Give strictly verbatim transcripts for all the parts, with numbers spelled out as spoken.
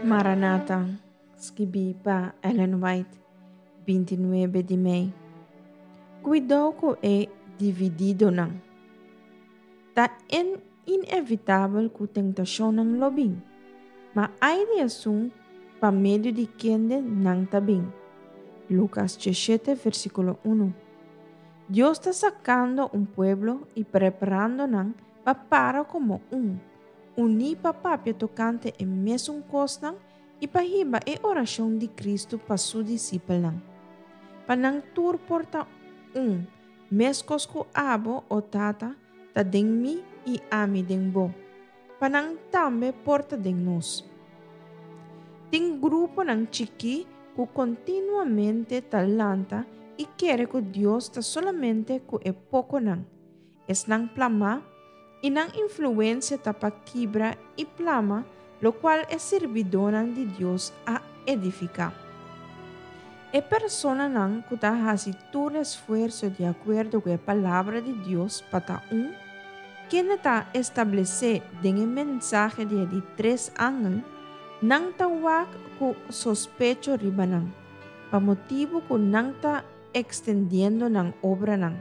Maranata, skibí pa Ellen White, binti nuebe di mei. Kuidou ku e divididonan. Ta inevitabel ku tentashonnan lo bin, ma ai di esun pa medio di kende nan ta bin. Lukas diesshete versíkulo unu. Dios ta sakando un pueblo i preparando nan pa para komo un, uní pa papia tokante e mesun kosnan i pa hiba e orashon di Kristu pa su disipelnan. Pa nan tur por ta un, meskos ku abo, o Tata, ta den mi i ami den bo. Pa nan tambe por ta den nos. Tin gruponan chikí ku kontinuamente ta lanta i kere ku Dios ta solamente ku e pokonan. Esnan plamá i nan influensia ta pa kibra i plama lokual e sirbidónan di Dios a edifiká. E personanan ku ta hasi tur esfuerso di akuerdo ku e Palabra di Dios pa ta un, kende ta establesé den e mensahe di e di tres angel, nan ta wak ku sospecho riba nan, pa motibu ku nan ta ekstendiendo nan obranan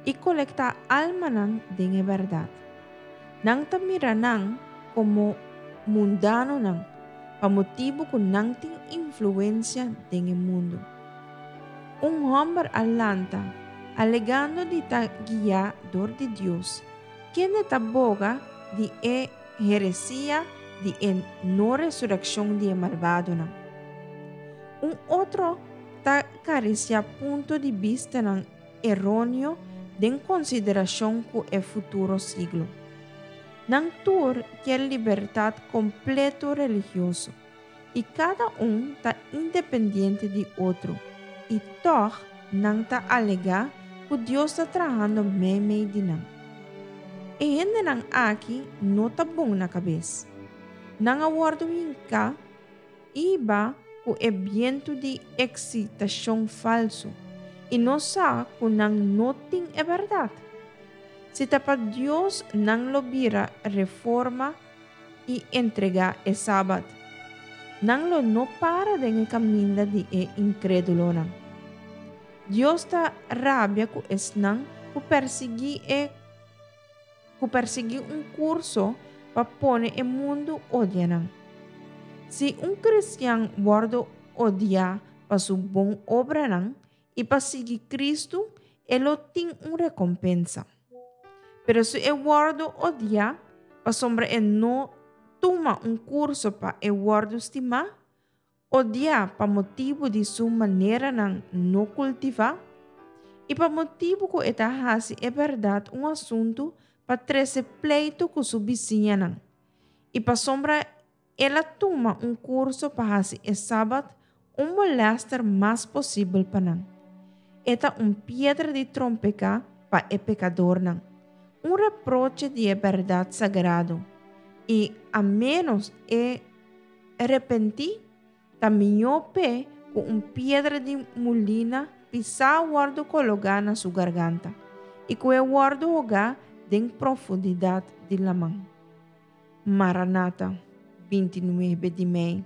i kolektá almanan den e bèrdat. Nan ta mira nan komo mundanonan, pa motibu ku nan tin influensia den e mundu. Un hòmber a lanta, alegando di ta guiá dor di Dios, kende ta boga di e heresia di e no resurekshon di e malbadonan. Un otro ta karisiá punto di bistanan eróneo den konsiderashon ku e futuro siglo. Nan tur kier libertat kompleto religioso, i kada un ta independiente di otro, i tòg nan ta alegá ku Dios ta trahando meimei di nan. E hendenan aki no ta bon na kabes. Nan a wòrdu hinká i hibá ku e bientu di eksitashon falsu, i no sa ku nan no tin e bèrdat. Si ta pa Dios nan lo bira reforma i entregá e Sabat. Nan lo no para den e kaminda di e inkrédulonan. Dios ta rabia ku esnan ku persiguí e ku persiguí un kurso pa pone e mundu odia nan. Si un kristian wòrdu odiá pa su bon obranan i pa sigui Kristu, e lo tin un rekompensa. Pero si e wòrdu odiá pasobra e no tuma un kurso pa e wòrdu stimá, odiá pa motibu di su maneranan no kultivá, i pa motibu ku e ta hasi e bèrdat un asuntu pa trese pleitu ku su bisiñanan, i pasobra el a tuma un kurso pa hasi e Sabat un molèster mas posibel pa nan. E ta un piedra di trompeká pa e pekadornan, un reproche di e bèrdat sagrado, i a ménos e repentí, ta mihó p'e ku un piedra di mulina pisá wòrdu kologá na su garganta, i ku e wòrdu hogá den profundidat di laman. Maranata, binti nuebe di mei.